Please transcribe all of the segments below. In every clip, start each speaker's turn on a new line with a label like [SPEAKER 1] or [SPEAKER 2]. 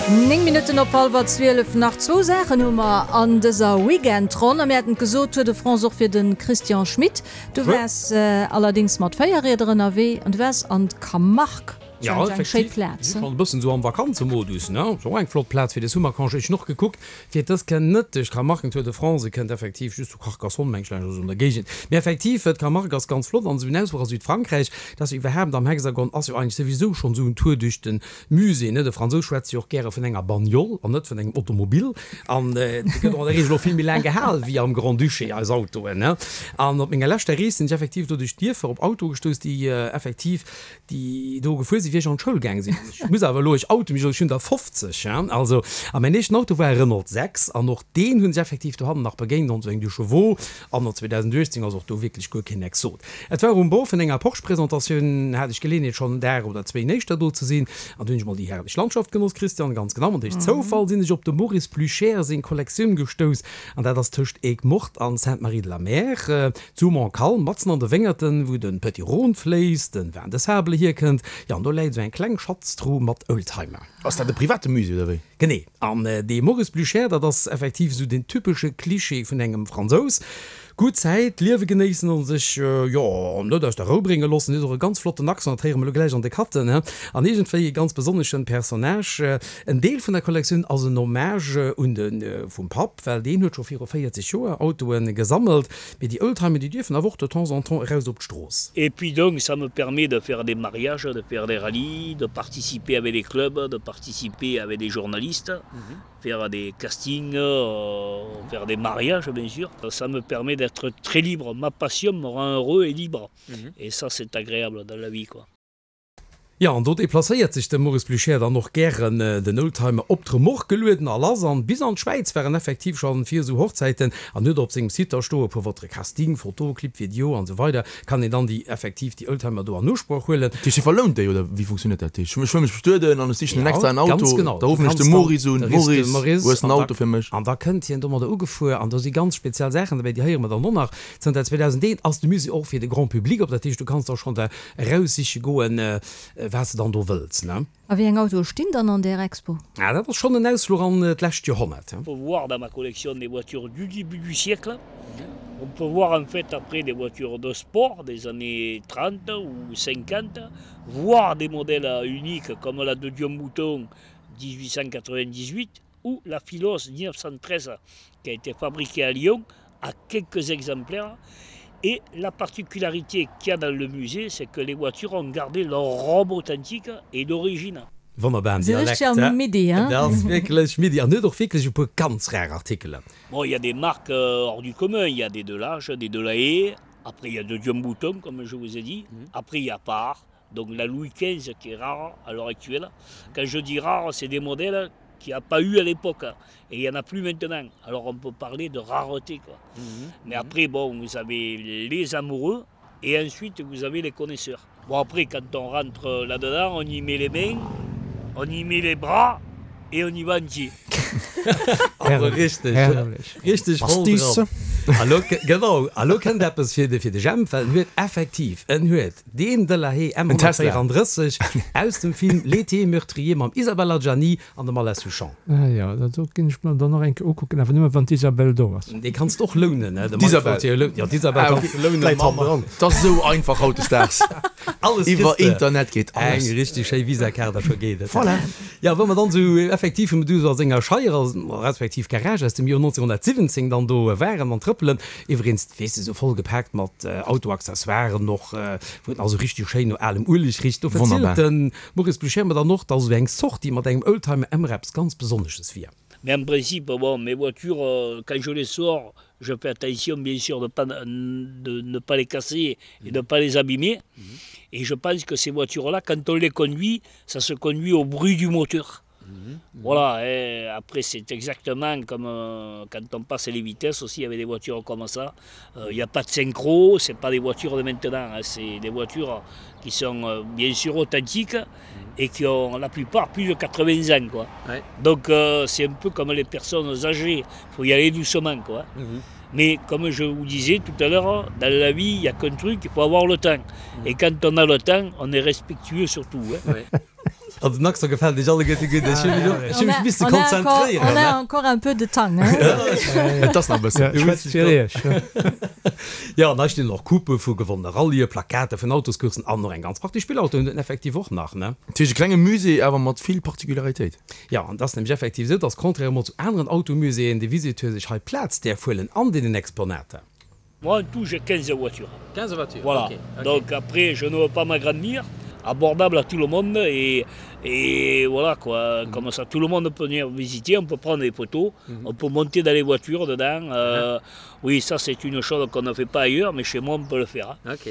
[SPEAKER 1] 9 Minutten op hallwer 12. Nach zwou Saachen hu mer an dëser Weekendronn. A mir haten et gesot, Tour de France och fir de Christian Schmit. Du waars allerdéngs mat 4 Rieder ënnerwee an du waars an d'Camargue.
[SPEAKER 2] Jo, effektiv. Schonn e bëssen esou am Vakanzemodus, ne? Ass och eng flott Plaz fir de Summercongé. Ech hunn och gekuckt, fir dës kënnt net duerch d'Camargue, den Tour de France, e kënnt effektiv just zu Carcassonne, meng ech, laanscht oder esou an der Géigend. Mee effektiv, d'Camargue ass ganz flott an esou en Ausfluch a Südfrankräich, dat ass jo iwwerhaapt am Hexagon, ass jo eigentlech souwisou schonn esou en Tour duerch de Musée, ne? De Fransous schwätzt jo och gäre vun enger Bagnole an net vun engem Automobil. An déi gëtt och an der Regel och vill méi laang gehal wéi am Grand-Duché, eis Autoen, ne? An op menger leschter Rees sinn ech effektiv do duerch d'Dierfer op Autoe gestouss, déi effektiv, déi do gefuer sinn, wéi ech an d'Schoul gaange sinn. An ech muss awer elo, ech oute mech elo, ech hunn der 50, hein, also. A mäin éischten Auto war e Renault 6 an och deen hunn ech effektiv dohannen nach begéint an esou eng Deux Chevaux. Anno 2018 ass och do wierklech guer keen Exot. Et war um Bord vun enger Porsche-Presentatioun, hat ech Geleeënheet schonn en Dag oder zwéin éischter do ze sinn, an do hunn ech mol déi herrlech Landschaft genoss, Christian, ganz genau. An duerch Zoufall sinn ech op dem Maurice Pluchère seng Kollektioun gestouss, an dat ass tëscht Aigues-Mortes an Sainte-Marie-de-la-Mer, zu Montcalm, matzen an de Wéngerten, wou de Petit Rhône fléisst, de Vin de Sable hierkënnt. Jo, an do läit esou eng kleng Schatztruh mat Oldtimer.
[SPEAKER 3] Ass dat e private Musée oder wéi?
[SPEAKER 2] Genee. An dee Maurice Blücher, dat ass effektiv esou den typesche Klischee vun engem Fransous. Gutt Zäit, d'Liewe genéissen an sech, jo, net aus der Rou brénge loossen. Huet och e ganz flotten Accent, dat héiere mer elo gläich an de Cutten, he. An iergendwéi e ganz besonneschen Personnage. En Deel vun der Kollektioun ass en Hommage un de vum Papp, well deen huet scho viru 40 Joer Autoe gesammelt. Mee déi Oldtimer, déi dierfen awer och de temps en temps eraus op d'Strooss.
[SPEAKER 4] Et puis donc ça me permet de faire des mariages, de faire des rallyes, de participer avec des clubs, de participer avec des journalistes, faire des castings, faire des mariages bien sûr. Ça me permet d'être très libre, ma passion me rend heureux et libre et ça c'est agréable dans la vie quoi.
[SPEAKER 2] Jo, an do deplacéiert sech de Maurice Blucher dann och gären, den Oldtimer op d'Remorque gelueden a lass. An bis an d'Schwäiz war en effektiv scho fir esou Hochzäiten an huet op sengem Site da stoe pour votre casting, photo, clip, video an esou weider kann een dann déi effektiv déi Oldtimer do an Usproch huelen.
[SPEAKER 3] Dat heescht, hie verlount déi, oder wéi funktionéiert dat? Ech wëll mech bestueden an ech sichen en extraen
[SPEAKER 2] Auto, ganz genau.
[SPEAKER 3] Da ruffen ech de Maurice un, Maurice, hues en Auto fir mech?
[SPEAKER 2] An da kënnt hien domadder ugefuer an do si ganz speziell Saachen dobäi, déi héiere mer dann och nach. Zënter 2001 ass de Musée och fir de Grand Public op, dat heescht, du kanns da schonn der Eraussiche goen, wat s de dann do wëlls, ne?
[SPEAKER 1] A wéi eng Autoe stinn dann an där Expo?
[SPEAKER 2] Ah, dat ass schonn en Ausfluch an d'lescht Joerhonnert.
[SPEAKER 4] On peut voir dans ma collection des voitures du début du siècle, on peut voir en fait après des voitures de sport des années 30 ou 50, voire des modèles uniques comme la de Dion Bouton 1898 ou la Philos 1913 qui a été fabriquée à Lyon à quelques exemplaires. Et la particularité qu'il y a dans le musée, c'est que les voitures ont gardé leur robe authentique et d'origine.
[SPEAKER 2] Wonnerbaren Dialekt, he? Dat ass wierklech midi an huet och wierklech e puer ganz rar Artikelen.
[SPEAKER 4] Bon, il y a des marques hors du commun, il y a des Delage, des Delahaye, après il y a de Dion Bouton comme je vous ai dit, après il y a Par, donc la Louis XV qui est rare à l'heure actuelle. Quand je dis rare, c'est des modèles qu'il n'y a pas eu à l'époque et il n'y en a plus maintenant. Alors on peut parler de rareté quoi. Mmh. Mais après bon, vous avez les amoureux et ensuite vous avez les connaisseurs. Bon après quand on rentre là-dedans, on y met les mains, on y met les bras et on y va entier.
[SPEAKER 2] Also richteg, richteg voll dran. A lo, genau, a lo kënnt eppes fir de, fir de Jemp, well en huet effektiv, en huet deen Delahaye M134 aus dem Film L'été meurtrier mam Isabelle Adjani an dem Alain Souchon.
[SPEAKER 5] Ah jo, dat do ginn ech mer dann och eng Kéier ukucken, awer nëmme wann d'Isabelle do ass.
[SPEAKER 2] Dee kanns de och lounen, ne? De
[SPEAKER 3] Mike wollt jo
[SPEAKER 2] lounen. Jo, d'Isabelle kanns de lounen.
[SPEAKER 3] Läit hannendran. 't ass esou einfach hautdesdaags.
[SPEAKER 2] Alles
[SPEAKER 3] kriss
[SPEAKER 2] de.
[SPEAKER 3] Iwwer Internet geet alles.
[SPEAKER 2] Eng richteg schéi Visa-Kaart a scho geet et.
[SPEAKER 3] Voilà.
[SPEAKER 2] Jo, wou mer dann esou effektiv vum Duso a senger Scheier, respektiv Garage aus dem Joer 1917 dann do waren an trëppelen. Iwweregens, weess de, esou voll gepaakt mat Autoaccessoiren och, wou et nach esou richteg schéin no alem Ueleg richt. Do verzielt de Maurice Blucher mer dann och, dass esou eng Sortie mat engem Oldtimer ëmmer eppes ganz Besonnesches wier.
[SPEAKER 4] Mais en principe, bon, mes voitures, quand je les sors, je fais attention bien sûr de pas de ne pas les casser et de pas les abîmer. Et je pense que ces voitures-là, quand on les conduit, ça se conduit au bruit du moteur. Mmh. Voilà, et après c'est exactement comme euh, quand on passe les vitesses aussi, il y avait des voitures comme ça. Il euh, n'y a pas de synchro, c'est pas des voitures de maintenant, c'est des voitures qui sont euh, bien sûr authentiques mmh. et qui ont la plupart plus de 80 ans. Quoi. Ouais. Donc euh, c'est un peu comme les personnes âgées, il faut y aller doucement. Quoi. Mmh. Mais comme je vous disais tout à l'heure, dans la vie, il n'y a qu'un truc, il faut avoir le temps. Mmh. Et quand on a le temps, on est respectueux surtout. Hein.
[SPEAKER 2] Ouais. Also den Accent gefält iech alleguerte gutt. Ech hu mech och, ech hu mech misse konzentréieren.
[SPEAKER 1] On a encore un peu de Tang, hein?
[SPEAKER 3] Et ass nach e bëssen.
[SPEAKER 5] Ech schwätze fir iech.
[SPEAKER 2] Jo, an hei stinn och Coupen vu gewonnene Rallye, Plakate vun Autoscoursen an och eng ganz Partie Spillautoen huet en effektiv och nach, ne?
[SPEAKER 3] Dat heescht e klenge Musée, awer mat vill Particularitéit.
[SPEAKER 2] Jo, an et ass nämlech effektiv esou, dass contrairement zu aneren Automuséeën de Visiteur sech hei Plaz däerf huelen an deenen Exponater.
[SPEAKER 4] Moi en tout j'ai 15 voitures.
[SPEAKER 2] 15 voitures,
[SPEAKER 4] voilà.
[SPEAKER 2] ok, ok.
[SPEAKER 4] Donc après je ne veux pas m'agrandir, abordable à tout le monde et, et voilà quoi, mm -hmm. comme ça tout le monde peut venir visiter, on peut prendre des photos, mm -hmm. on peut monter dans les voitures dedans. Euh, mm -hmm. Oui, ça c'est une chose qu'on ne fait pas ailleurs, mais chez moi on peut le faire. Hein.
[SPEAKER 2] Ok.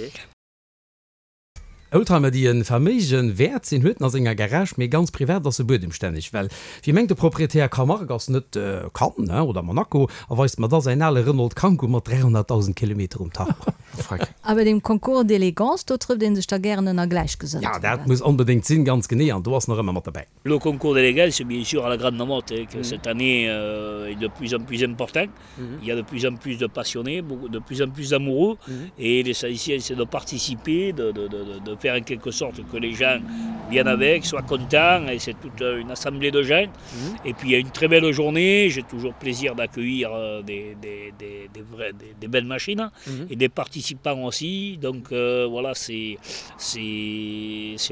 [SPEAKER 2] Oldtimer déi e Verméige wäert sinn, huet en a senger Garage, mee ganz privat ass e buedemstänneg, well wéi mengt de Proprietär, Camargue ass net Cannes oder Monaco, a weist mer da säin ale Renault Kangoo mat 300.000 Kilometer um Tacho.
[SPEAKER 3] Freck.
[SPEAKER 1] A bei deem Concours d'élégance, do trëfft ee sech da gären ënner Gläichgesënnten,
[SPEAKER 2] Ja, dat muss onbedéngt sinn, ganz genee, an do ass en och ëmmer mat derbäi.
[SPEAKER 4] Le concours d'élégance, bien sûr, à la Grande Motte, que cette année est de plus en plus important. Il y a de plus en plus de passionnés, beaucoup, de plus en plus d'amoureux. Et l'essentiel, c'est de participer, de, de, de, de faire en quelque sorte que les gens viennent avec, soient contents. Et c'est toute une assemblée de gens. Et puis, il y a une très belle journée. J'ai toujours plaisir d'accueillir des, des, des, des, vraies, des, des belles machines et des participants aussi. Donc, euh, voilà, c'est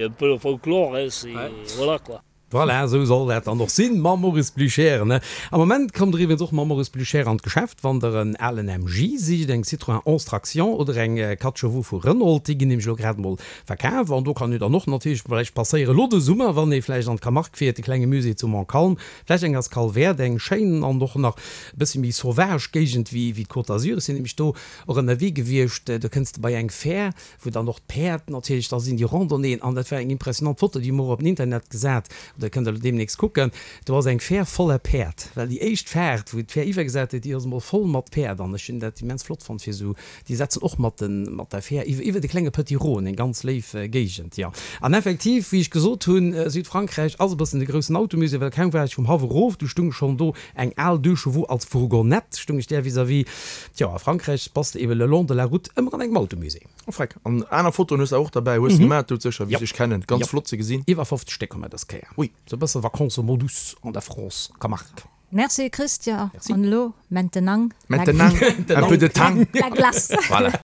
[SPEAKER 4] un peu le folklore. Hein, c'est, ouais. Voilà, quoi.
[SPEAKER 2] Voilà, esou soll dat dann och sinn mam Maurice Blücher, ne? Am Moment kommt der iwwregens och mam Maurice Blücher an d'Geschäft, wann der en alen MG sicht, eng Citroën 11 Traction oder eng 4 Chevaux vu Renault. Déi ginn nämlech elo grad emol verkaf an do kann een dann och natierlech vläicht passéieren elo de Summer, wann ee vläicht an d'Camargue fiert, de klenge Musée zu Montcalm, vläicht eng Escale wäert, eng schéin an och nach e bëssi méi sauvage Géigend wéi d'Côte d'Azur. Ech sinn nämlech do och ënnerwee gewiescht, do kënns de bei eng Fähr, wou dann och d'Päerd natierlech da sinn, déi Randonnéeën, an dat war eng impressionant Foto, déi hu mer och op den Internet gesat, oder kënnt der elo deemnächst kucken, do ass eng Fähr voller Päerd, well déi éischt Faart, wou d'Fähr iwwergesat huet, déi ass emol voll mat Päerd, an ech hunn dat immens flott fonnt, fir esou, déi setzen och mat den, mat der Fähr iwwer, iwwer de klenge Petit Rhône, eng ganz léif Géigend, jo. An effektiv, wéi ech gesot hunn, Südfrankräich ass e bëssen de groussen Automusée, well kaum war ech vum Haff erof, du stung schonn do eng al Deux Chevaux als Fourgonnette, stung ech där vis-à-vis. Tjo, a Frankräich bass de eben le long de la route ëmmer an engem Automusée.
[SPEAKER 3] Oh freck, an aner Fotoen hues de och derbäi, hues de gemaat doudsécher, wéi ech dech kennen, ganz flott ze gesinn.
[SPEAKER 2] Iwwer 50 Stéck hu mer dës Kéier.
[SPEAKER 3] Ui.
[SPEAKER 2] Sou e bësse Vacances-Modus an der France, Camargue.
[SPEAKER 1] Merci Christian, an elo maintenant
[SPEAKER 3] Maintenant un peu de tang.
[SPEAKER 1] la glace.
[SPEAKER 3] Voilà.